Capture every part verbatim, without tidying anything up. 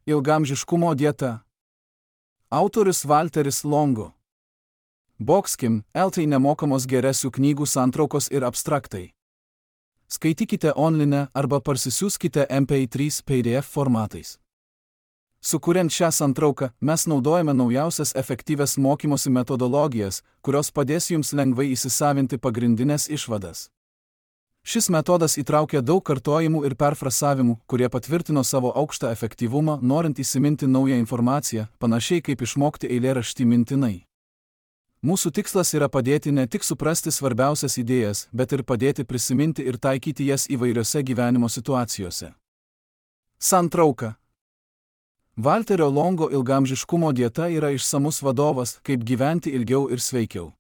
Ilgaamžiškumo dieta. Autorius Walteris Longo. Boxkim, L T nemokamos geresių knygų santraukos ir abstraktai. Skaitykite online arba parsisiųskite M P trys P D F formatais. Sukuriant šią santrauką, mes naudojame naujausias efektyvias mokymosi metodologijas, kurios padės jums lengvai įsisavinti pagrindinės išvadas. Šis metodas įtraukia daug kartojimų ir perfrasavimų, kurie patvirtino savo aukštą efektyvumą, norint įsiminti naują informaciją, panašiai kaip išmokti eilėraštį mintinai. Mūsų tikslas yra padėti ne tik suprasti svarbiausias idėjas, bet ir padėti prisiminti ir taikyti jas įvairiose gyvenimo situacijose. Santrauka. Walterio Longo ilgaamžiškumo dieta yra išsamus vadovas, kaip gyventi ilgiau ir sveikiau.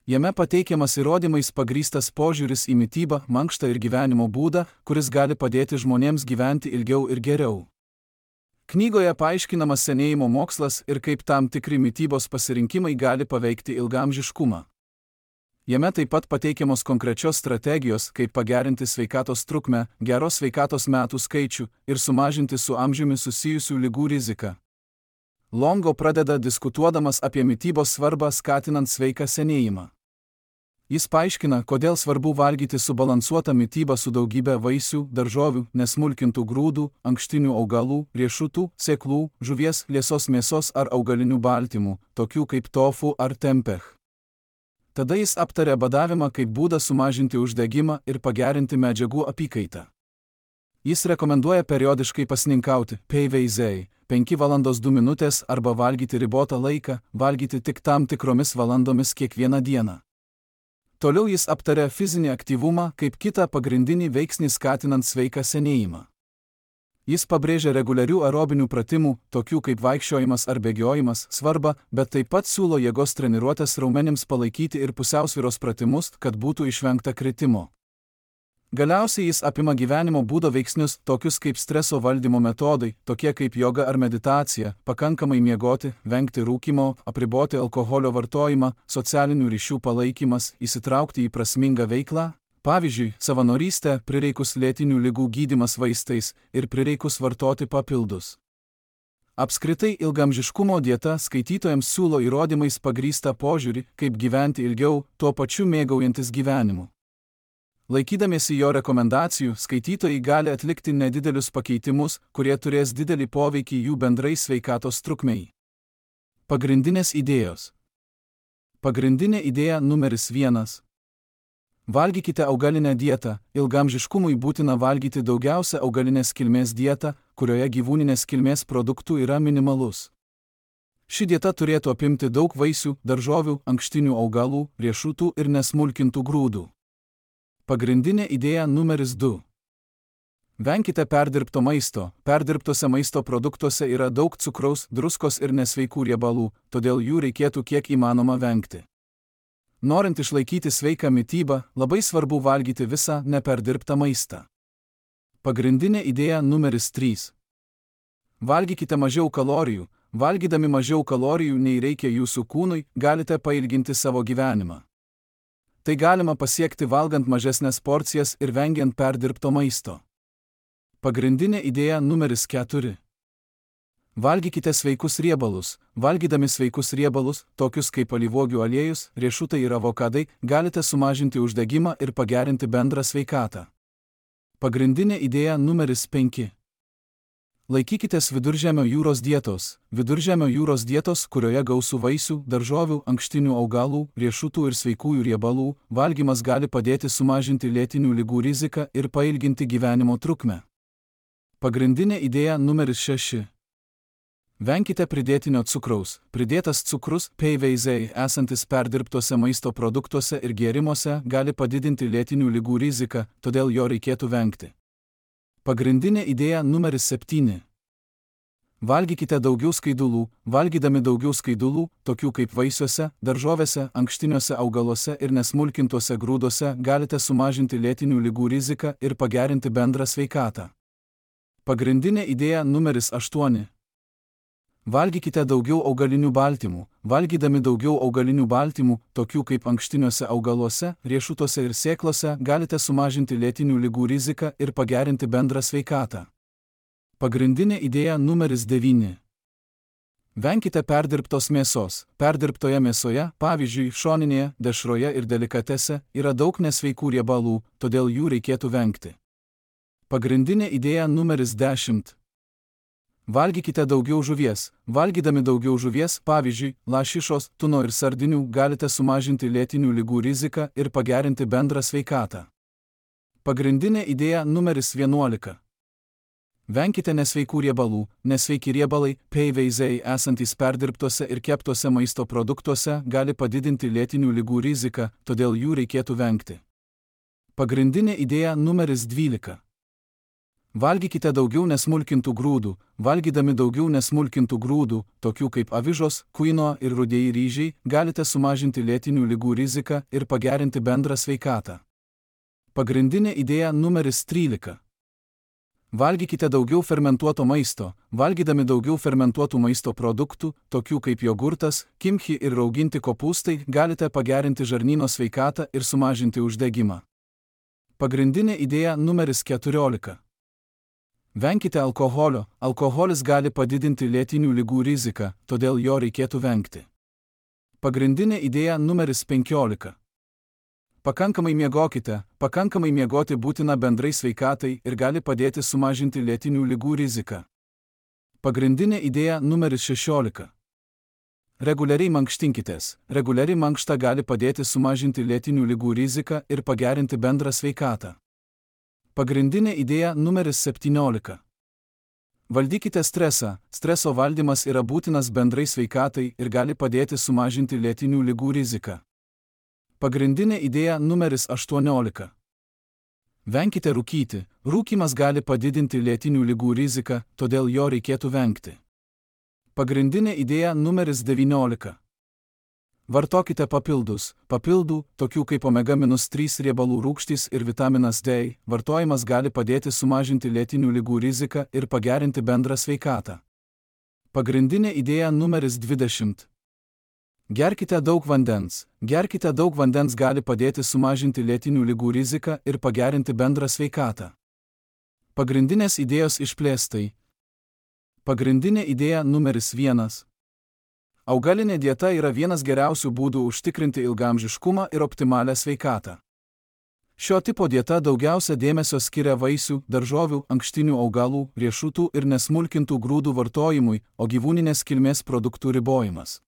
Jame pateikiamas įrodymais pagrįstas požiūris į mitybą, mankštą ir gyvenimo būdą, kuris gali padėti žmonėms gyventi ilgiau ir geriau. Knygoje paaiškinamas senėjimo mokslas ir kaip tam tikri mitybos pasirinkimai gali paveikti ilgaamžiškumą. Jame taip pat pateikiamos konkrečios strategijos, kaip pagerinti sveikatos trukmę, geros sveikatos metų skaičių ir sumažinti su amžiumi susijusių ligų riziką. Longo pradeda diskutuodamas apie mitybos svarbą skatinant sveiką senėjimą. Jis paaiškina, kodėl svarbu valgyti subalansuotą mitybą su daugybė vaisių, daržovių, nesmulkintų grūdų, ankštinių augalų, riešutų, sėklų, žuvies, liesos mėsos ar augalinių baltymų, tokių kaip tofu ar tempeh. Tada jis aptarė badavimą kaip būdą sumažinti uždegimą ir pagerinti medžiagų apykaitą. Jis rekomenduoja periodiškai pasninkauti, P V Z, penkios valandos dvi minutės arba valgyti ribotą laiką, valgyti tik tam tikromis valandomis kiekvieną dieną. Toliau jis aptarė fizinį aktyvumą kaip kitą pagrindinį veiksnį skatinant sveiką senėjimą. Jis pabrėžia reguliarių aerobinių pratimų, tokių kaip vaikščiojimas ar bėgiojimas, svarbą, bet taip pat siūlo jėgos treniruotės raumenims palaikyti ir pusiausvyros pratimus, kad būtų išvengta kritimo. Galiausiai jis apima gyvenimo būdo veiksnius, tokius kaip streso valdymo metodai, tokie kaip joga ar meditacija, pakankamai miegoti, vengti rūkymo, apriboti alkoholio vartojimą, socialinių ryšių palaikymas, įsitraukti į prasmingą veiklą, pavyzdžiui, savanorystę, prireikus lėtinių ligų gydymas vaistais ir prireikus vartoti papildus. Apskritai ilgaamžiškumo dieta skaitytojams siūlo įrodymais pagrįstą požiūrį, kaip gyventi ilgiau, tuo pačiu mėgaujantis gyvenimu. Laikydamiesi jo rekomendacijų, skaitytojai gali atlikti nedidelius pakeitimus, kurie turės didelį poveikį jų bendrai sveikatos trukmei. Pagrindinės idėjos. Pagrindinė idėja numeris vienas. Valgykite augalinę dietą. Ilgaamžiškumui būtina valgyti daugiausia augalinės kilmės dietą, kurioje gyvūninės kilmės produktų yra minimalus. Ši dieta turėtų apimti daug vaisių, daržovių, ankštinių augalų, riešutų ir nesmulkintų grūdų. Pagrindinė idėja numeris du. Venkite perdirbto maisto. Perdirbtose maisto produktuose yra daug cukraus, druskos ir nesveikų riebalų, todėl jų reikėtų kiek įmanoma vengti. Norint išlaikyti sveiką mitybą, labai svarbu valgyti visą neperdirbtą maistą. Pagrindinė idėja numeris trys. Valgykite mažiau kalorijų. Valgydami mažiau kalorijų nei reikia jūsų kūnui, galite pailginti savo gyvenimą. Tai galima pasiekti valgant mažesnės porcijas ir vengiant perdirbto maisto. Pagrindinė idėja numeris keturi. Valgykite sveikus riebalus. Valgydami sveikus riebalus, tokius kaip alyvuogių aliejus, riešutai ir avokadai, galite sumažinti uždegimą ir pagerinti bendrą sveikatą. Pagrindinė idėja numeris penki. Laikykitės Viduržemio jūros dietos. Viduržemio jūros dietos, kurioje gausu vaisių, daržovių, ankštinių augalų, riešutų ir sveikųjų riebalų, valgymas gali padėti sumažinti lėtinių ligų riziką ir pailginti gyvenimo trukmę. Pagrindinė idėja numeris šeši. Venkite pridėtinio cukraus. Pridėtas cukrus, P V Z, esantis perdirbtuose maisto produktuose ir gėrimuose, gali padidinti lėtinių ligų riziką, todėl jo reikėtų vengti. Pagrindinė idėja numeris septyni. Valgykite daugiau skaidulų. Valgydami daugiau skaidulų, tokių kaip vaisiuose, daržovėse, ankštiniuose augaluose ir nesmulkintuose grūduose, galite sumažinti lėtinių ligų riziką ir pagerinti bendrą sveikatą. Pagrindinė idėja numeris aštuoni. Valgykite daugiau augalinių baltymų. Valgydami daugiau augalinių baltymų, tokių kaip ankštiniuose augaluose, riešutuose ir sėklose, galite sumažinti lėtinių ligų riziką ir pagerinti bendrą sveikatą. Pagrindinė idėja numeris devyni. Venkite perdirbtos mėsos. Perdirbtoje mėsoje, pavyzdžiui, šoninėje, dešroje ir delikatese, yra daug nesveikų riebalų, todėl jų reikėtų vengti. Pagrindinė idėja numeris dešimt. Valgykite daugiau žuvies. Valgydami daugiau žuvies, pavyzdžiui, lašišos, tuno ir sardinių, galite sumažinti lėtinių ligų riziką ir pagerinti bendrą sveikatą. Pagrindinė idėja numeris vienuolika. Venkite nesveikų riebalų. Nesveiki riebalai, peiveizei esantys perdirbtose ir keptose maisto produktuose, gali padidinti lėtinių ligų riziką, todėl jų reikėtų vengti. Pagrindinė idėja numeris dvylika. Valgykite daugiau nesmulkintų grūdų. Valgydami daugiau nesmulkintų grūdų, tokių kaip avižos, kuino ir rudieji ryžiai, galite sumažinti lėtinių ligų riziką ir pagerinti bendrą sveikatą. Pagrindinė idėja numeris trylika. Valgykite daugiau fermentuoto maisto. Valgydami daugiau fermentuotų maisto produktų, tokių kaip jogurtas, kimchi ir rauginti kopūstai, galite pagerinti žarnyno sveikatą ir sumažinti uždegimą. Pagrindinė idėja numeris keturiolika. Venkite alkoholio. Alkoholis gali padidinti lėtinių ligų riziką, todėl jo reikėtų vengti. Pagrindinė idėja numeris penkiolika. Pakankamai miegokite. Pakankamai miegoti būtina bendrai sveikatai ir gali padėti sumažinti lėtinių ligų riziką. Pagrindinė idėja numeris šešiolika. Reguliariai mankštinkitės. Reguliari mankšta gali padėti sumažinti lėtinių ligų riziką ir pagerinti bendrą sveikatą. Pagrindinė idėja numeris septyniolika. Valdykite stresą. Streso valdymas yra būtinas bendrai sveikatai ir gali padėti sumažinti lėtinių ligų riziką. Pagrindinė idėja numeris aštuoniolika. Venkite rūkyti. Rūkymas gali padidinti lėtinių ligų riziką, todėl jo reikėtų vengti. Pagrindinė idėja numeris devyniolika. Vartokite papildus. Papildų, tokių kaip omega trys riebalų rūgštys ir vitaminas D, vartojimas gali padėti sumažinti lėtinių ligų riziką ir pagerinti bendrą sveikatą. Pagrindinė idėja numeris dvidešimt. Gerkite daug vandens. Gerkite daug vandens gali padėti sumažinti lėtinių ligų riziką ir pagerinti bendrą sveikatą. Pagrindinės idėjos išplėstai. Pagrindinė idėja numeris vienas. Augalinė dieta yra vienas geriausių būdų užtikrinti ilgaamžiškumą ir optimalią sveikatą. Šio tipo dieta daugiausia dėmesio skiria vaisių, daržovių, ankštinių augalų, riešutų ir nesmulkintų grūdų vartojimui, o gyvūninės kilmės produktų ribojimas.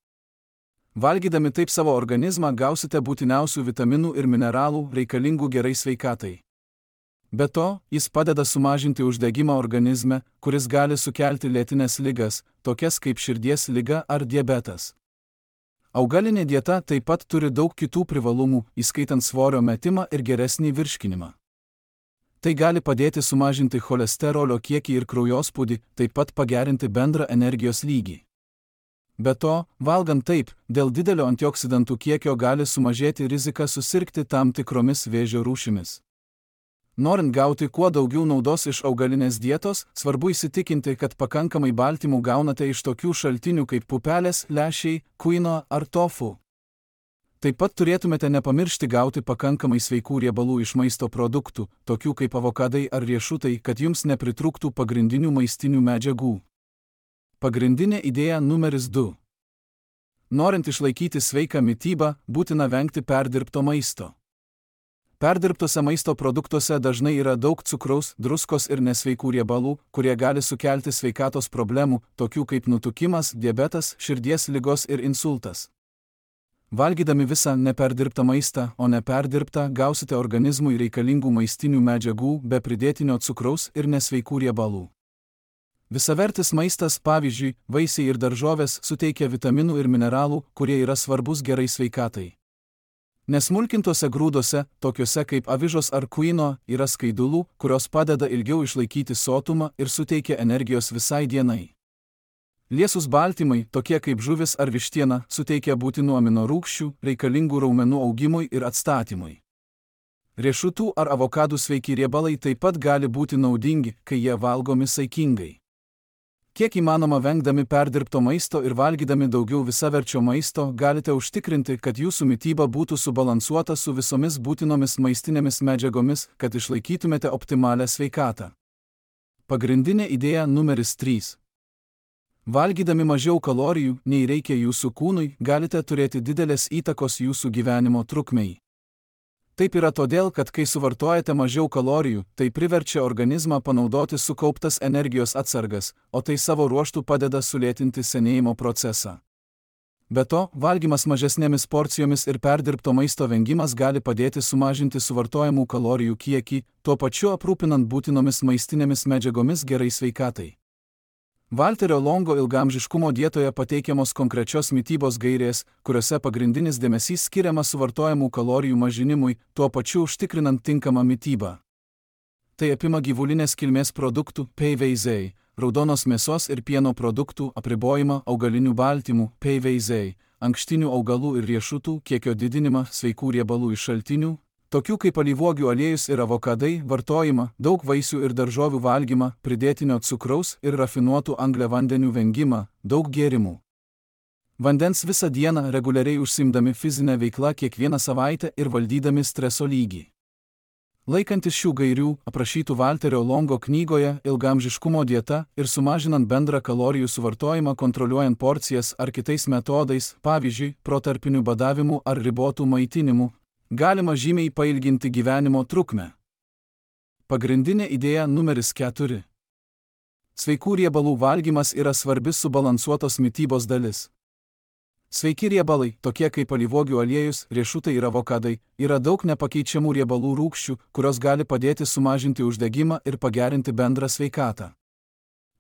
Valgydami taip savo organizmą gausite būtiniausių vitaminų ir mineralų reikalingų gerai sveikatai. Be to, jis padeda sumažinti uždegimą organizme, kuris gali sukelti lėtines ligas, tokias kaip širdies liga ar diabetas. Augalinė dieta taip pat turi daug kitų privalumų, įskaitant svorio metimą ir geresnį virškinimą. Tai gali padėti sumažinti cholesterolio kiekį ir kraujospūdį, taip pat pagerinti bendrą energijos lygį. Be to, valgant taip, dėl didelio antioksidantų kiekio gali sumažėti rizika susirgti tam tikromis vėžio rūšimis. Norint gauti kuo daugiau naudos iš augalinės dietos, svarbu įsitikinti, kad pakankamai baltymų gaunate iš tokių šaltinių kaip pupelės, lęšiai, kuino ar tofu. Taip pat turėtumėte nepamiršti gauti pakankamai sveikų riebalų iš maisto produktų, tokių kaip avokadai ar riešutai, kad jums nepritrūktų pagrindinių maistinių medžiagų. Pagrindinė idėja numeris du. Norint išlaikyti sveiką mitybą, būtina vengti perdirbto maisto. Perdirbtose maisto produktuose dažnai yra daug cukraus, druskos ir nesveikų riebalų, kurie gali sukelti sveikatos problemų, tokių kaip nutukimas, diabetas, širdies ligos ir insultas. Valgydami visą neperdirbtą maistą, o neperdirbtą, gausite organizmui reikalingų maistinių medžiagų be pridėtinio cukraus ir nesveikų riebalų. Visavertis maistas, pavyzdžiui, vaisiai ir daržovės, suteikia vitaminų ir mineralų, kurie yra svarbus gerai sveikatai. Nesmulkintose grūdose, tokiuose kaip avižos ar kuino, yra skaidulų, kurios padeda ilgiau išlaikyti sotumą ir suteikia energijos visai dienai. Liesūs baltymai, tokie kaip žuvis ar vištiena, suteikia būtinų amino rūgščių, reikalingų raumenų augimui ir atstatymui. Riešutų ar avokadų sveiki riebalai taip pat gali būti naudingi, kai jie valgomi saikingai. Kiek įmanoma vengdami perdirbto maisto ir valgydami daugiau visaverčio maisto, galite užtikrinti, kad jūsų mityba būtų subalansuota su visomis būtinomis maistinėmis medžiagomis, kad išlaikytumėte optimalią sveikatą. Pagrindinė idėja numeris trys. Valgydami mažiau kalorijų, nei reikia jūsų kūnui, galite turėti didelės įtakos jūsų gyvenimo trukmei. Taip yra todėl, kad kai suvartojate mažiau kalorijų, tai priverčia organizmą panaudoti sukauptas energijos atsargas, o tai savo ruožtu padeda sulėtinti senėjimo procesą. Be to, valgymas mažesnėmis porcijomis ir perdirbto maisto vengimas gali padėti sumažinti suvartojamų kalorijų kiekį, tuo pačiu aprūpinant būtinomis maistinėmis medžiagomis gerai sveikatai. Valterio Longo ilgaamžiškumo dietoje pateikiamos konkrečios mitybos gairės, kuriuose pagrindinis dėmesys skiriamas suvartojamų kalorijų mažinimui, tuo pačiu užtikrinant tinkamą mitybą. Tai apima gyvulinės kilmės produktų, P V Z, raudonos mėsos ir pieno produktų apribojimą, augalinių baltymų, P V Z, ankštinių augalų ir riešutų kiekio didinimą, sveikų riebalų iš šaltinių, tokių kaip alyvuogių aliejus ir avokadai, vartojimą, daug vaisių ir daržovių valgymą, pridėtinio cukraus ir rafinuotų angliavandenių vengimą, daug gėrimų. Vandens visą dieną, reguliariai užsiimdami fizinę veiklą kiekvieną savaitę ir valdydami streso lygį. Laikantis šių gairių, aprašytų Valterio Longo knygoje Ilgaamžiškumo dieta ir sumažinant bendrą kalorijų suvartojimą kontroliuojant porcijas ar kitais metodais, pavyzdžiui, protarpiniu badavimu ar ribotų maitinimu, galima žymiai pailginti gyvenimo trukmę. Pagrindinė idėja numeris keturi. Sveikų riebalų valgymas yra svarbi subalansuotos mitybos dalis. Sveiki riebalai, tokie kaip alyvuogių aliejus, riešutai ir avokadai, yra daug nepakeičiamų riebalų rūgščių, kurios gali padėti sumažinti uždegimą ir pagerinti bendrą sveikatą.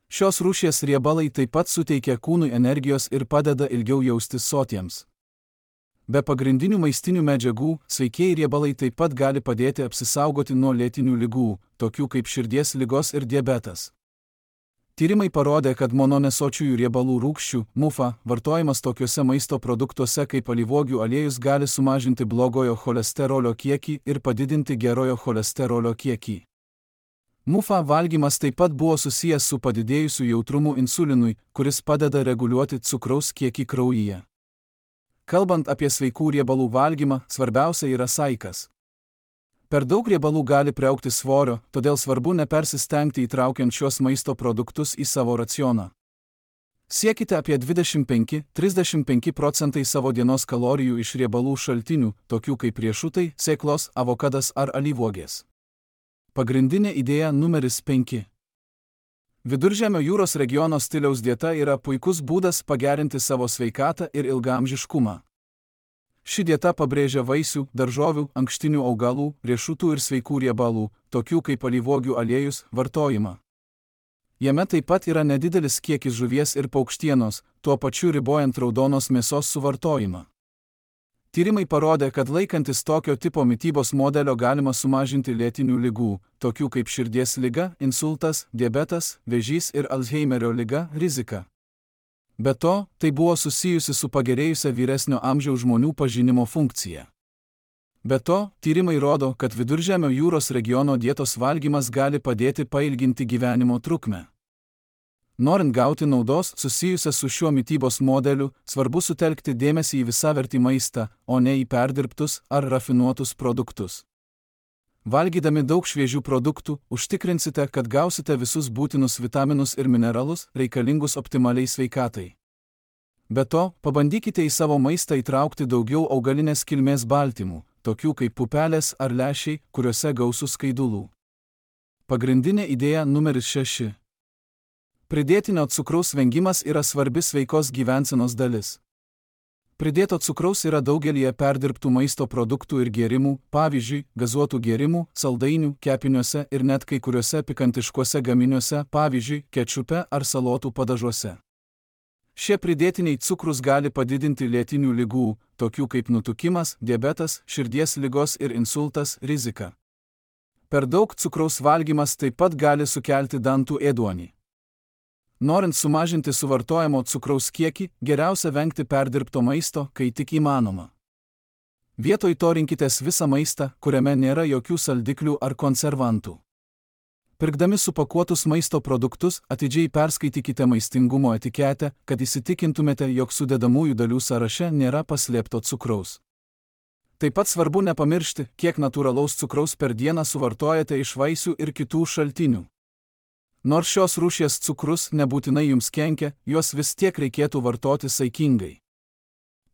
Šios rūšies riebalai taip pat suteikia kūnui energijos ir padeda ilgiau jaustis sotiems. Be pagrindinių maistinių medžiagų, sveikieji riebalai taip pat gali padėti apsisaugoti nuo lėtinių ligų, tokių kaip širdies ligos ir diabetas. Tyrimai parodė, kad mononesočiųjų riebalų rūgščių, M U F A, vartojimas tokiuose maisto produktuose kaip alyvuogių aliejus gali sumažinti blogojo cholesterolio kiekį ir padidinti gerojo cholesterolio kiekį. M U F A valgymas taip pat buvo susijęs su padidėjusiu jautrumu insulinui, kuris padeda reguliuoti cukraus kiekį kraujyje. Kalbant apie sveikų riebalų valgymą, svarbiausia yra saikas. Per daug riebalų gali priaugti svorio, todėl svarbu nepersistengti įtraukiant šios maisto produktus į savo racioną. Siekite apie dvidešimt penki iki trisdešimt penki procentai savo dienos kalorijų iš riebalų šaltinių, tokių kaip riešutai, sėklos, avokadas ar alyvuogės. Pagrindinė idėja numeris penki. Viduržemio jūros regiono stiliaus dieta yra puikus būdas pagerinti savo sveikatą ir ilgaamžiškumą. Ši dieta pabrėžia vaisių, daržovių, ankštinių augalų, riešutų ir sveikų riebalų, tokių kaip alyvuogių aliejus, vartojimą. Jame taip pat yra nedidelis kiekis žuvies ir paukštienos, tuo pačiu ribojant raudonos mėsos suvartojimą. Tyrimai parodė, kad laikantis tokio tipo mitybos modelio galima sumažinti lėtinių ligų, tokių kaip širdies liga, insultas, diabetas, vėžys ir Alzheimerio liga, riziką. Be to, tai buvo susijusi su pagerėjusia vyresnio amžiaus žmonių pažinimo funkcija. Be to, tyrimai rodo, kad Viduržemio jūros regiono dietos valgymas gali padėti pailginti gyvenimo trukmę. Norint gauti naudos susijusią su šiuo mitybos modeliu, svarbu sutelkti dėmesį į visavertį maistą, o ne į perdirbtus ar rafinuotus produktus. Valgydami daug šviežių produktų, užtikrinsite, kad gausite visus būtinus vitaminus ir mineralus, reikalingus optimaliai sveikatai. Be to, pabandykite į savo maistą įtraukti daugiau augalinės kilmės baltymų, tokių kaip pupelės ar lęšiai, kuriuose gausu skaidulų. Pagrindinė idėja numeris šeši. Pridėtinio cukraus vengimas yra svarbi sveikos gyvensenos dalis. Pridėto cukraus yra daugelyje perdirbtų maisto produktų ir gėrimų, pavyzdžiui, gazuotų gėrimų, saldainių, kepiniuose ir net kai kuriuose pikantiškuose gaminiuose, pavyzdžiui, kečupe ar salotų padažuose. Šie pridėtiniai cukrus gali padidinti lėtinių ligų, tokių kaip nutukimas, diabetas, širdies ligos ir insultas, riziką. Per daug cukraus valgymas taip pat gali sukelti dantų ėduonį. Norint sumažinti suvartojamo cukraus kiekį, geriausia vengti perdirbto maisto, kai tik įmanoma. Vietoj to rinkitės visą maistą, kuriame nėra jokių saldiklių ar konservantų. Pirkdami supakuotus maisto produktus, atidžiai perskaitykite maistingumo etiketę, kad įsitikintumėte, jog sudedamųjų dalių sąraše nėra paslėpto cukraus. Taip pat svarbu nepamiršti, kiek natūralaus cukraus per dieną suvartojate iš vaisių ir kitų šaltinių. Nors šios rūšies cukrus nebūtinai jums kenkia, juos vis tiek reikėtų vartoti saikingai.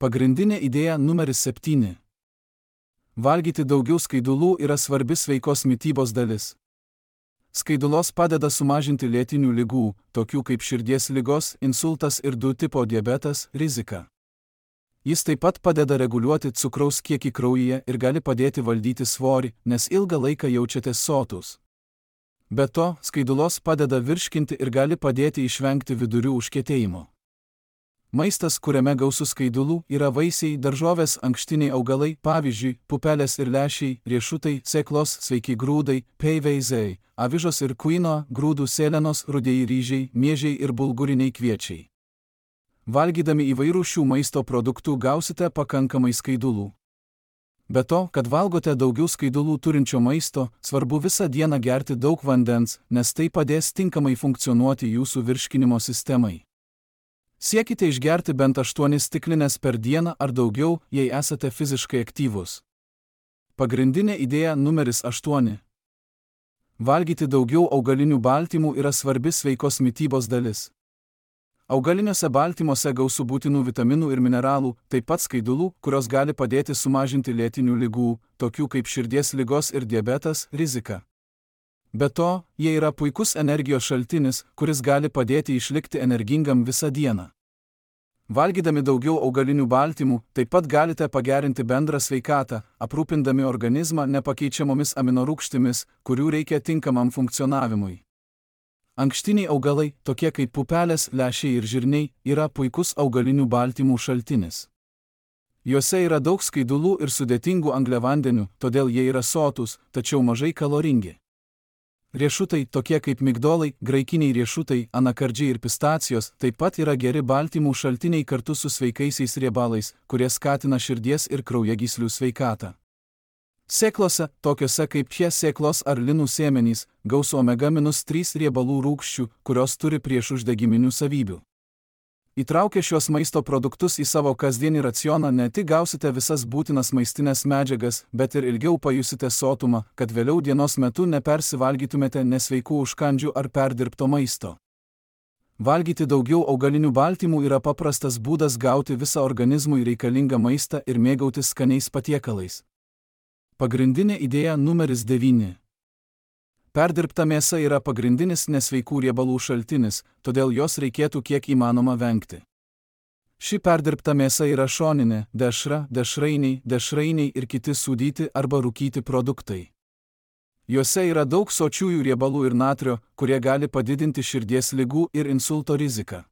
Pagrindinė idėja numeris septyni. Valgyti daugiau skaidulų yra svarbi sveikos mitybos dalis. Skaidulos padeda sumažinti lėtinių ligų, tokių kaip širdies ligos, insultas ir du tipo diabetas, riziką. Jis taip pat padeda reguliuoti cukraus kiekį kraujyje ir gali padėti valdyti svorį, nes ilgą laiką jaučiatės sotus. Be to, skaidulos padeda virškinti ir gali padėti išvengti vidurių užkietėjimo. Maistas, kuriame gausu skaidulų, yra vaisiai, daržovės, ankštiniai augalai, pavyzdžiui, pupelės ir lęšiai, riešutai, sėklos, sveiki grūdai, peiveizai, avižos ir kuino, grūdų sėlenos, rudieji ryžiai, miežiai ir bulguriniai kviečiai. Valgydami įvairių šių maisto produktų gausite pakankamai skaidulų. Be to, kad valgote daugiau skaidulų turinčio maisto, svarbu visą dieną gerti daug vandens, nes tai padės tinkamai funkcionuoti jūsų virškinimo sistemai. Siekite išgerti bent aštuonias stiklines per dieną ar daugiau, jei esate fiziškai aktyvūs. Pagrindinė idėja numeris aštuoni. Valgyti daugiau augalinių baltymų yra svarbi sveikos mitybos dalis. Augaliniuose baltymuose gausu būtinų vitaminų ir mineralų, taip pat skaidulų, kurios gali padėti sumažinti lėtinių ligų, tokių kaip širdies ligos ir diabetas, riziką. Be to, jie yra puikus energijos šaltinis, kuris gali padėti išlikti energingam visą dieną. Valgydami daugiau augalinių baltymų, taip pat galite pagerinti bendrą sveikatą, aprūpindami organizmą nepakeičiamomis aminorūgštimis, kurių reikia tinkamam funkcionavimui. Ankštiniai augalai, tokie kaip pupelės, lęšiai ir žirniai, yra puikus augalinių baltymų šaltinis. Juose yra daug skaidulų ir sudėtingų angliavandenių, todėl jie yra sotūs, tačiau mažai kaloringi. Riešutai, tokie kaip migdolai, graikiniai riešutai, anakardžiai ir pistacijos, taip pat yra geri baltymų šaltiniai kartu su sveikaisiais riebalais, kurie skatina širdies ir kraujagyslių sveikatą. Sėklose, tokiose kaip šie sėklos ar linų sėmenys, gausu omega trys riebalų rūgščių, kurios turi priešuždegiminių savybių. Įtraukę šios maisto produktus į savo kasdienį racioną ne tik gausite visas būtinas maistinės medžiagas, bet ir ilgiau pajusite sotumą, kad vėliau dienos metu nepersivalgytumėte nesveikų užkandžių ar perdirbto maisto. Valgyti daugiau augalinių baltymų yra paprastas būdas gauti visą organizmui reikalingą maistą ir mėgautis skaniais patiekalais. Pagrindinė idėja numeris devyni. Perdirbta mėsa yra pagrindinis nesveikų riebalų šaltinis, todėl jos reikėtų kiek įmanoma vengti. Ši perdirbta mėsa yra šoninė, dešra, dešrainiai, dešrainiai ir kiti sūdyti arba rūkyti produktai. Juose yra daug sočiųjų riebalų ir natrio, kurie gali padidinti širdies ligų ir insulto riziką.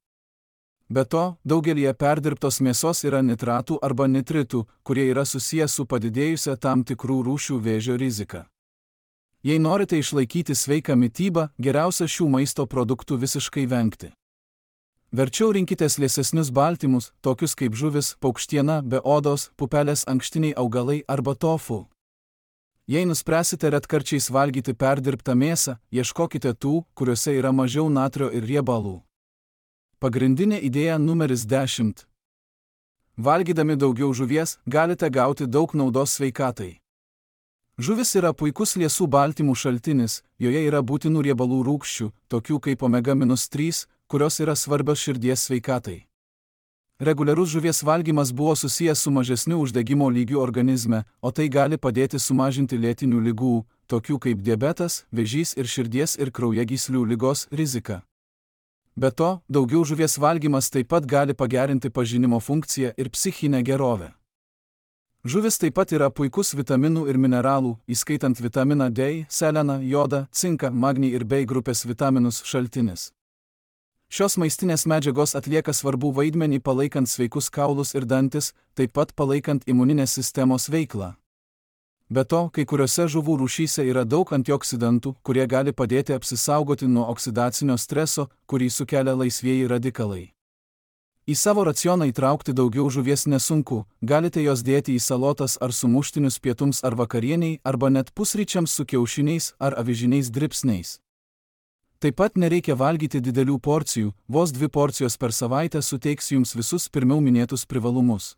Be to, daugelyje perdirbtos mėsos yra nitratų arba nitritų, kurie yra susiję su padidėjusia tam tikrų rūšių vėžio rizika. Jei norite išlaikyti sveiką mitybą, geriausia šių maisto produktų visiškai vengti. Verčiau rinkitės liesesnius baltymus, tokius kaip žuvis, paukštiena, be odos, pupelės, ankštiniai augalai arba tofu. Jei nuspręsite retkarčiais valgyti perdirbtą mėsą, ieškokite tų, kuriuose yra mažiau natrio ir riebalų. Pagrindinė idėja numeris dešimt. Valgydami daugiau žuvies, galite gauti daug naudos sveikatai. Žuvis yra puikus liesų baltymų šaltinis, joje yra būtinų riebalų rūgščių, tokių kaip omega trys, kurios yra svarbios širdies sveikatai. Reguliarus žuvies valgymas buvo susijęs su mažesniu uždegimo lygiu organizme, o tai gali padėti sumažinti lėtinių ligų, tokių kaip diabetas, vėžys ir širdies ir kraujagyslių ligos riziką. Be to, daugiau žuvies valgymas taip pat gali pagerinti pažinimo funkciją ir psichinę gerovę. Žuvis taip pat yra puikus vitaminų ir mineralų, įskaitant vitaminą D, seleną, jodą, cinką, magnį ir B grupės vitaminus šaltinis. Šios maistinės medžiagos atlieka svarbų vaidmenį palaikant sveikus kaulus ir dantis, taip pat palaikant imuninės sistemos veiklą. Be to, kai kuriuose žuvų rūšyse yra daug antioksidantų, kurie gali padėti apsisaugoti nuo oksidacinio streso, kurį sukelia laisvieji radikalai. Į savo racioną įtraukti daugiau žuvies nesunku, galite jos dėti į salotas ar sumuštinius pietums ar vakarieniai, arba net pusryčiams su kiaušiniais ar avižiniais dribsniais. Taip pat nereikia valgyti didelių porcijų, vos dvi porcijos per savaitę suteiks jums visus pirmiau minėtus privalumus.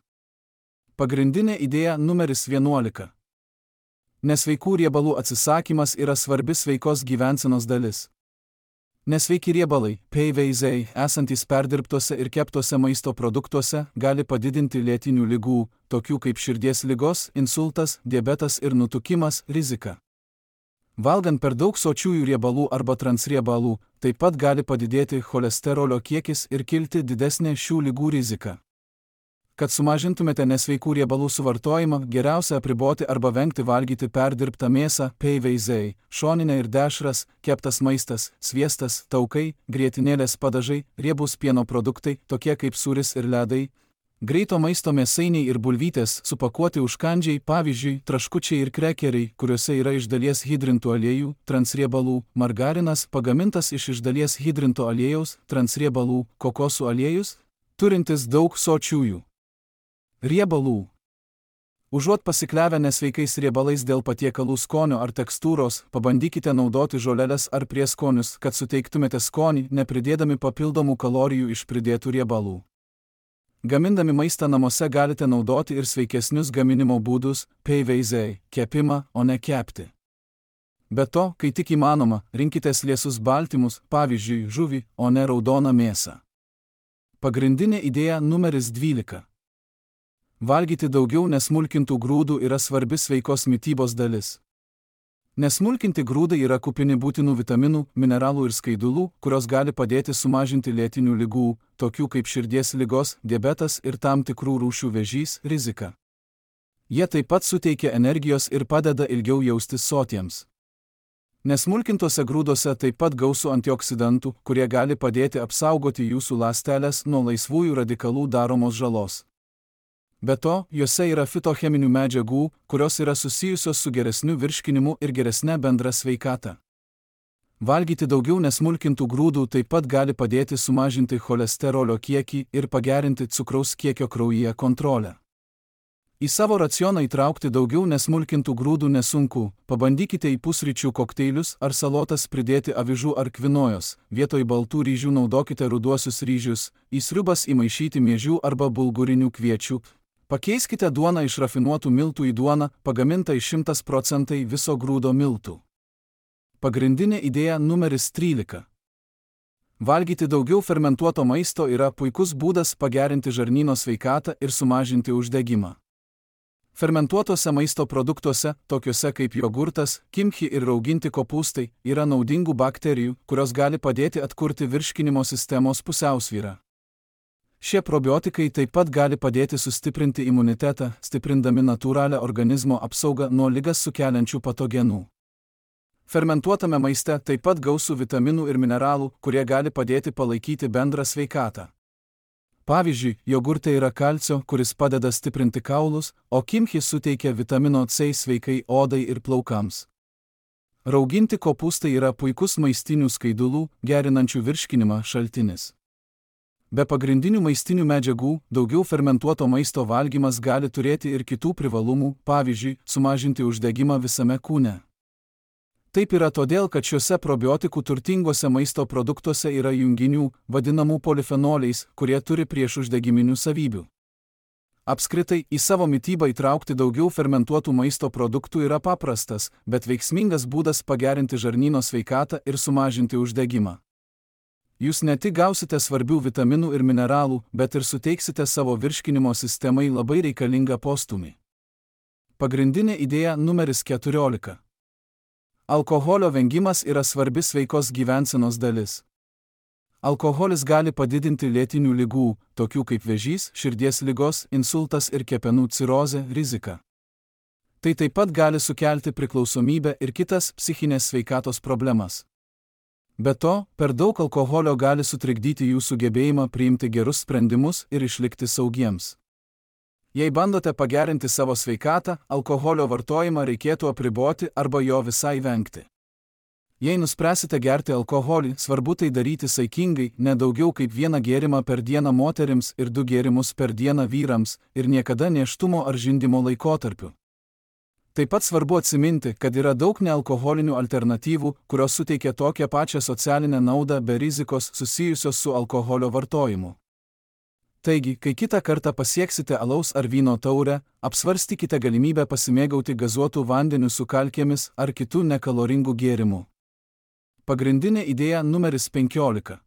Pagrindinė idėja numeris vienuolika. Nesveikų riebalų atsisakymas yra svarbi sveikos gyvensenos dalis. Nesveiki riebalai, P V Z, esantys perdirbtose ir keptose maisto produktuose, gali padidinti lėtinių ligų, tokių kaip širdies ligos, insultas, diabetas ir nutukimas, riziką. Valgant per daug sočiųjų riebalų arba transriebalų, taip pat gali padidėti cholesterolio kiekis ir kilti didesnė šių ligų rizika. Kad sumažintumėte nesveikų riebalų suvartojimą, geriausia apriboti arba vengti valgyti perdirbtą mėsą, P V Z, šoninę ir dešras, keptas maistas, sviestas, taukai, grietinėlės padažai, riebūs pieno produktai, tokie kaip sūris ir ledai, greito maisto mėsainiai ir bulvytės, supakuoti užkandžiai, pavyzdžiui, traškučiai ir krekeriai, kuriuose yra iš dalies hidrintų aliejų, transriebalų, margarinas, pagamintas iš iš dalies hidrinto aliejaus, transriebalų, kokosų aliejus, turintis daug sočiųjų riebalų. Užuot pasikliavę nesveikais riebalais dėl patiekalų skonio ar tekstūros, pabandykite naudoti žoleles ar prieskonius, kad suteiktumėte skonį, nepridėdami papildomų kalorijų iš pridėtų riebalų. Gamindami maistą namuose galite naudoti ir sveikesnius gaminimo būdus, P V Z, kepimą, o ne kepti. Be to, kai tik įmanoma, rinkitės liesus baltymus, pavyzdžiui, žuvį, o ne raudoną mėsą. Pagrindinė idėja numeris dvylika. Valgyti daugiau nesmulkintų grūdų yra svarbi sveikos mitybos dalis. Nesmulkinti grūdai yra kupini būtinų vitaminų, mineralų ir skaidulų, kurios gali padėti sumažinti lėtinių ligų, tokių kaip širdies ligos, diabetas ir tam tikrų rūšių vėžys, riziką. Jie taip pat suteikia energijos ir padeda ilgiau jaustis sotiems. Nesmulkintose grūdose taip pat gausu antioksidantų, kurie gali padėti apsaugoti jūsų ląsteles nuo laisvųjų radikalų daromos žalos. Be to, juose yra fitocheminių medžiagų, kurios yra susijusios su geresniu virškinimu ir geresne bendra sveikata. Valgyti daugiau nesmulkintų grūdų taip pat gali padėti sumažinti cholesterolio kiekį ir pagerinti cukraus kiekio kraujyje kontrolę. Į savo racioną įtraukti daugiau nesmulkintų grūdų nesunku, pabandykite į pusryčių kokteilius ar salotas pridėti avižų ar kvinojos, vietoj baltų ryžių naudokite ruduosius ryžius, į sriubas įmaišyti miežių arba bulgurinių kviečių. Pakeiskite duoną iš rafinuotų miltų į duoną, pagamintą iš šimtas procentų viso grūdo miltų. Pagrindinė idėja numeris trylika. Valgyti daugiau fermentuoto maisto yra puikus būdas pagerinti žarnyno sveikatą ir sumažinti uždegimą. Fermentuotose maisto produktuose, tokiuose kaip jogurtas, kimchi ir rauginti kopūstai, yra naudingų bakterijų, kurios gali padėti atkurti virškinimo sistemos pusiausvyrą. Šie probiotikai taip pat gali padėti sustiprinti imunitetą, stiprindami natūralią organizmo apsaugą nuo ligas sukeliančių patogenų. Fermentuotame maiste taip pat gausu vitaminų ir mineralų, kurie gali padėti palaikyti bendrą sveikatą. Pavyzdžiui, jogurte yra kalcio, kuris padeda stiprinti kaulus, o kimchi suteikia vitamino C sveikai odai ir plaukams. Rauginti kopūstai yra puikus maistinių skaidulų, gerinančių virškinimą šaltinis. Be pagrindinių maistinių medžiagų, daugiau fermentuoto maisto valgymas gali turėti ir kitų privalumų, pavyzdžiui, sumažinti uždegimą visame kūne. Taip yra todėl, kad šiuose probiotikų turtinguose maisto produktuose yra junginių, vadinamų polifenoliais, kurie turi priešuždegiminių savybių. Apskritai, į savo mitybą įtraukti daugiau fermentuotų maisto produktų yra paprastas, bet veiksmingas būdas pagerinti žarnyno sveikatą ir sumažinti uždegimą. Jūs ne tik gausite svarbių vitaminų ir mineralų, bet ir suteiksite savo virškinimo sistemai labai reikalingą postūmį. Pagrindinė idėja numeris keturiolika. Alkoholio vengimas yra svarbi sveikos gyvensenos dalis. Alkoholis gali padidinti lėtinių ligų, tokių kaip vėžys, širdies ligos, insultas ir kepenų cirozė, riziką. Tai taip pat gali sukelti priklausomybę ir kitas psichinės sveikatos problemas. Be to, per daug alkoholio gali sutrikdyti jūsų gebėjimą priimti gerus sprendimus ir išlikti saugiems. Jei bandote pagerinti savo sveikatą, alkoholio vartojimą reikėtų apriboti arba jo visai vengti. Jei nuspręsite gerti alkoholį, svarbu tai daryti saikingai, ne daugiau kaip vieną gėrimą per dieną moterims ir du gėrimus per dieną vyrams, ir niekada nėštumo ar žindymo laikotarpiu. Taip pat svarbu atsiminti, kad yra daug nealkoholinių alternatyvų, kurios suteikia tokią pačią socialinę naudą be rizikos susijusios su alkoholio vartojimu. Taigi, kai kitą kartą pasieksite alaus ar vyno taurę, apsvarstykite galimybę pasimėgauti gazuotų vandenių su kalkėmis ar kitų nekaloringų gėrimų. Pagrindinė idėja numeris penkiolika.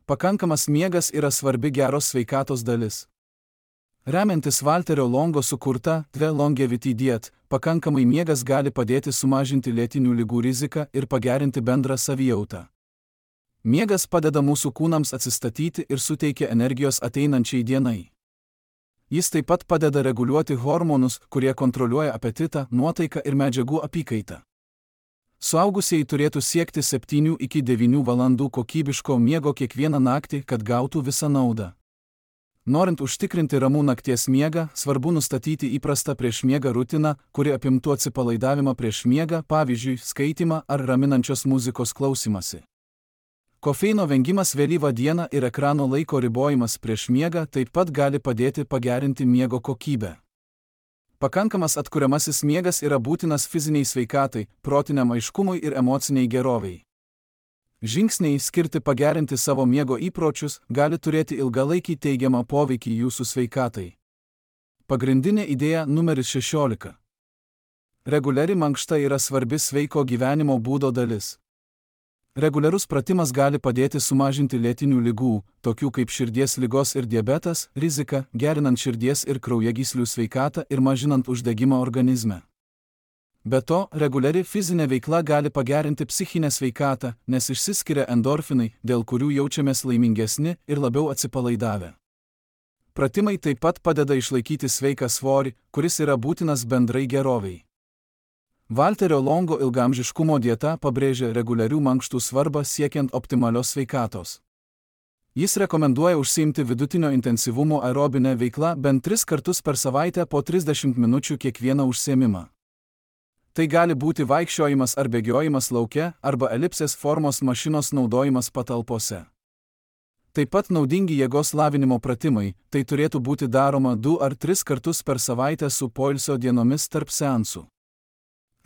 Pakankamas miegas yra svarbi geros sveikatos dalis. Remiantis Walterio Longo sukurta The Longevity Diet, pakankamai miegas gali padėti sumažinti lėtinių ligų riziką ir pagerinti bendrą savijautą. Miegas padeda mūsų kūnams atsistatyti ir suteikia energijos ateinančiai dienai. Jis taip pat padeda reguliuoti hormonus, kurie kontroliuoja apetitą, nuotaiką ir medžiagų apykaitą. Suaugusieji turėtų siekti septynių iki devynių valandų kokybiško miego kiekvieną naktį, kad gautų visą naudą. Norint užtikrinti ramų nakties miegą, svarbu nustatyti įprastą prieš miegą rutiną, kuri apimtų atsipalaidavimą prieš miegą, pavyzdžiui, skaitymą ar raminančios muzikos klausymasi. Kofeino vengimas vėlyvą dieną ir ekrano laiko ribojimas prieš miegą taip pat gali padėti pagerinti miego kokybę. Pakankamas atkuriamasis miegas yra būtinas fiziniai sveikatai, protiniam aiškumui ir emociniai geroviai. Žingsniai skirti pagerinti savo miego įpročius gali turėti ilgalaikį teigiamą poveikį jūsų sveikatai. Pagrindinė idėja numeris šešiolika. Reguliari mankšta yra svarbi sveiko gyvenimo būdo dalis. Reguliarus pratimas gali padėti sumažinti lėtinių ligų, tokių kaip širdies ligos ir diabetas, riziką, gerinant širdies ir kraujagyslių sveikatą ir mažinant uždegimą organizme. Be to, reguliari fizinė veikla gali pagerinti psichinę sveikatą, nes išsiskiria endorfinai, dėl kurių jaučiamės laimingesni ir labiau atsipalaidavę. Pratimai taip pat padeda išlaikyti sveiką svorį, kuris yra būtinas bendrai geroviai. Walterio Longo ilgaamžiškumo dieta pabrėžia reguliarių mankštų svarbą siekiant optimalios sveikatos. Jis rekomenduoja užsiimti vidutinio intensyvumo aerobinę veiklą bent tris kartus per savaitę po trisdešimt minučių kiekvieną užsiėmimą. Tai gali būti vaikščiojimas ar bėgiojimas lauke arba elipsės formos mašinos naudojimas patalpose. Taip pat naudingi jėgos lavinimo pratimai, tai turėtų būti daroma du ar tris kartus per savaitę su poilsio dienomis tarp seansų.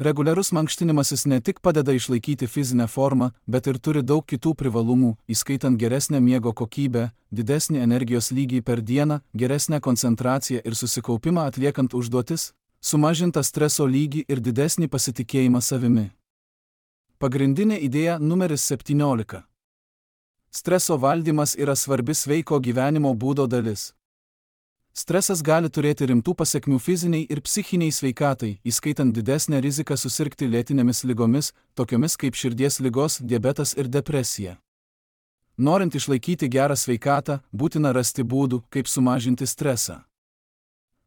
Reguliarus mankštinimasis ne tik padeda išlaikyti fizinę formą, bet ir turi daug kitų privalumų, įskaitant geresnę miego kokybę, didesnį energijos lygį per dieną, geresnę koncentraciją ir susikaupimą atliekant užduotis, sumažintą streso lygį ir didesnį pasitikėjimą savimi. Pagrindinė idėja numeris septyniolika. Streso valdymas yra svarbi sveiko gyvenimo būdo dalis. Stresas gali turėti rimtų pasekmių fiziniai ir psichiniai sveikatai, įskaitant didesnę riziką susirgti lėtinėmis ligomis, tokiomis kaip širdies ligos, diabetas ir depresija. Norint išlaikyti gerą sveikatą, būtina rasti būdų, kaip sumažinti stresą.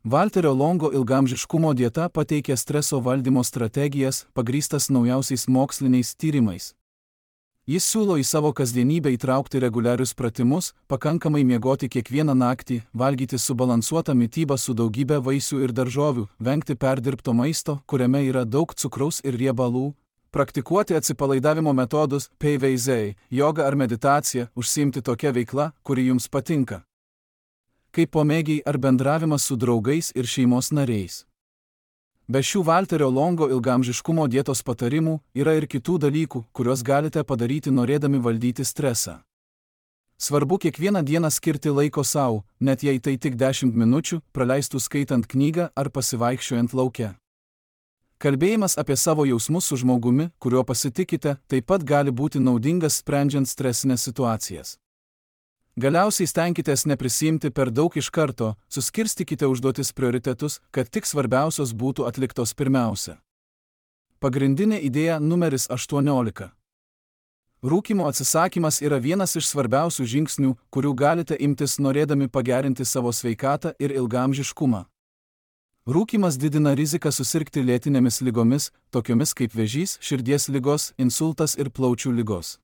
Walterio Longo ilgaamžiškumo dieta pateikia streso valdymo strategijas, pagrįstas naujausiais moksliniais tyrimais. Jis siūlo į savo kasdienybę įtraukti reguliarius pratimus, pakankamai miegoti kiekvieną naktį, valgyti subalansuotą mitybą su daugybė vaisių ir daržovių, vengti perdirbto maisto, kuriame yra daug cukraus ir riebalų, praktikuoti atsipalaidavimo metodus, P V Z, jogą ar meditaciją, užsiimti tokia veikla, kuri jums patinka. Kaip pomėgiai ar bendravimas su draugais ir šeimos nariais. Be šių Walterio Longo ilgaamžiškumo dietos patarimų yra ir kitų dalykų, kuriuos galite padaryti norėdami valdyti stresą. Svarbu kiekvieną dieną skirti laiko sau, net jei tai tik dešimt minučių, praleistų skaitant knygą ar pasivaikščiojant lauke. Kalbėjimas apie savo jausmus su žmogumi, kuriuo pasitikite, taip pat gali būti naudingas sprendžiant stresinės situacijas. Galiausiai stenkitės neprisiimti per daug iš karto, suskirstykite užduotis prioritetus, kad tik svarbiausios būtų atliktos pirmiausia. Pagrindinė idėja numeris aštuoniolika. Rūkymo atsisakymas yra vienas iš svarbiausių žingsnių, kurių galite imtis norėdami pagerinti savo sveikatą ir ilgaamžiškumą. Rūkymas didina riziką susirgti lėtinėmis ligomis, tokiomis kaip vėžys, širdies ligos, insultas ir plaučių ligos.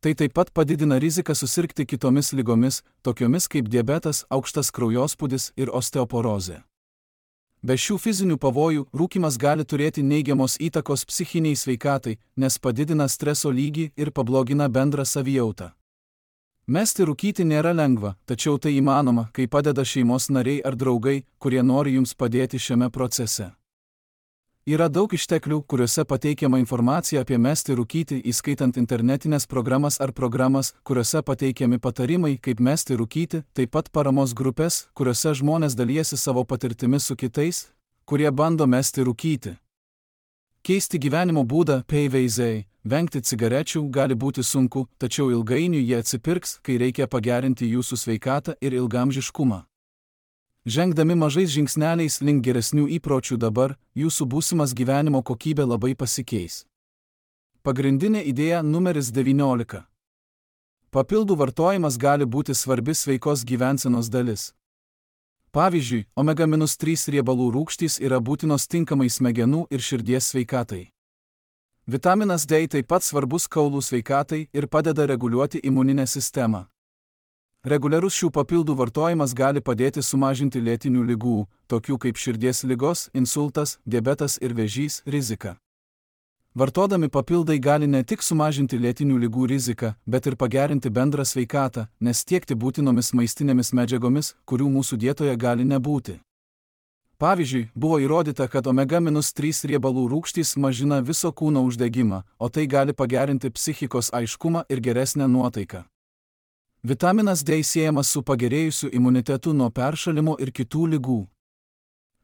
Tai taip pat padidina riziką susirgti kitomis ligomis, tokiomis kaip diabetas, aukštas kraujospūdis ir osteoporozė. Be šių fizinių pavojų, rūkymas gali turėti neigiamos įtakos psichiniai sveikatai, nes padidina streso lygį ir pablogina bendrą savijautą. Mesti rūkyti nėra lengva, tačiau tai įmanoma, kai padeda šeimos nariai ar draugai, kurie nori jums padėti šiame procese. Yra daug išteklių, kuriuose pateikiama informacija apie mesti rūkyti, įskaitant internetinės programas ar programas, kuriuose pateikiami patarimai, kaip mesti rūkyti, taip pat paramos grupės, kuriuose žmonės dalijasi savo patirtimi su kitais, kurie bando mesti rūkyti. Keisti gyvenimo būdą P V Z, vengti cigarečių gali būti sunku, tačiau ilgainiui jie atsipirks, kai reikia pagerinti jūsų sveikatą ir ilgaamžiškumą. Žengdami mažais žingsneliais link geresnių įpročių dabar, jūsų būsimas gyvenimo kokybė labai pasikeis. Pagrindinė idėja numeris devyniolika. Papildų vartojimas gali būti svarbi sveikos gyvensenos dalis. Pavyzdžiui, omega trys riebalų rūgštys yra būtinos tinkamai smegenų ir širdies sveikatai. Vitaminas D taip pat svarbus kaulų sveikatai ir padeda reguliuoti imuninę sistemą. Reguliarus šių papildų vartojimas gali padėti sumažinti lėtinių ligų, tokių kaip širdies ligos, insultas, diabetas ir vėžys, riziką. Vartodami papildai gali ne tik sumažinti lėtinių ligų riziką, bet ir pagerinti bendrą sveikatą, nes tiekti būtinomis maistinėmis medžiagomis, kurių mūsų dietoje gali nebūti. Pavyzdžiui, buvo įrodyta, kad omega trys riebalų rūgštys mažina viso kūno uždegimą, o tai gali pagerinti psichikos aiškumą ir geresnę nuotaiką. Vitaminas D siejamas su pagerėjusiu imunitetu nuo peršalimo ir kitų ligų.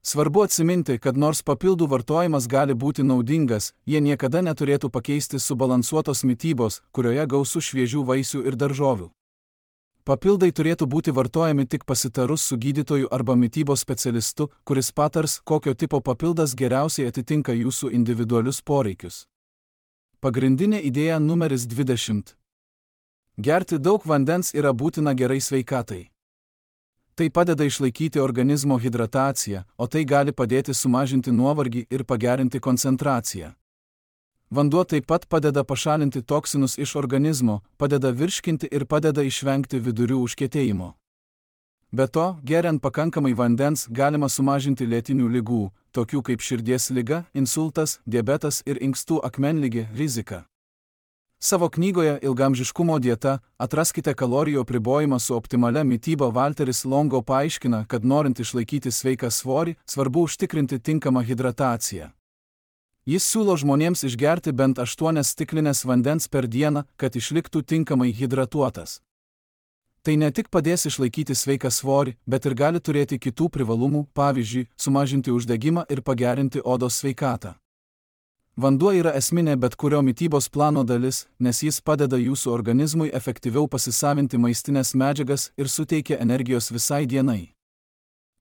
Svarbu atsiminti, kad nors papildų vartojimas gali būti naudingas, jie niekada neturėtų pakeisti subalansuotos mitybos, kurioje gausu šviežių vaisių ir daržovių. Papildai turėtų būti vartojami tik pasitarus su gydytoju arba mitybos specialistu, kuris patars, kokio tipo papildas geriausiai atitinka jūsų individualius poreikius. Pagrindinė idėja numeris dvidešimt. Gerti daug vandens yra būtina gerai sveikatai. Tai padeda išlaikyti organizmo hidrataciją, o tai gali padėti sumažinti nuovargį ir pagerinti koncentraciją. Vanduo taip pat padeda pašalinti toksinus iš organizmo, padeda virškinti ir padeda išvengti vidurių užkietėjimo. Be to, geriant pakankamai vandens galima sumažinti lėtinių ligų, tokių kaip širdies liga, insultas, diabetas ir inkstų akmenligė riziką. Savo knygoje Ilgaamžiškumo dieta atraskite kalorijų apribojimą su optimalia mityba. Walteris Longo paaiškina, kad norint išlaikyti sveiką svorį, svarbu užtikrinti tinkamą hidrataciją. Jis siūlo žmonėms išgerti bent aštuonias stiklinės vandens per dieną, kad išliktų tinkamai hidratuotas. Tai ne tik padės išlaikyti sveiką svorį, bet ir gali turėti kitų privalumų, pavyzdžiui, sumažinti uždegimą ir pagerinti odos sveikatą. Vanduo yra esminė bet kurio mitybos plano dalis, nes jis padeda jūsų organizmui efektyviau pasisavinti maistinės medžiagas ir suteikia energijos visai dienai.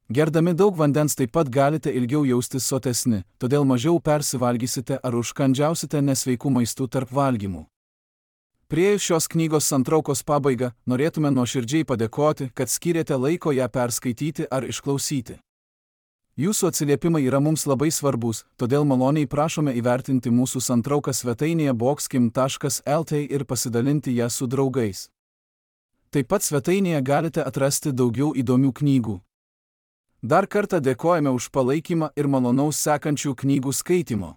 Gerdami daug vandens taip pat galite ilgiau jaustis sotesni, todėl mažiau persivalgysite ar užkandžiausite nesveikų maistų tarp valgymų. Priėjus šios knygos santraukos pabaigą, norėtume nuoširdžiai padėkoti, kad skyrėte laiko ją perskaityti ar išklausyti. Jūsų atsiliepimai yra mums labai svarbus, todėl maloniai prašome įvertinti mūsų santrauką svetainėje boxkim taškas el t ir pasidalinti ją su draugais. Taip pat svetainėje galite atrasti daugiau įdomių knygų. Dar kartą dėkojame už palaikymą ir malonaus sekančių knygų skaitimo.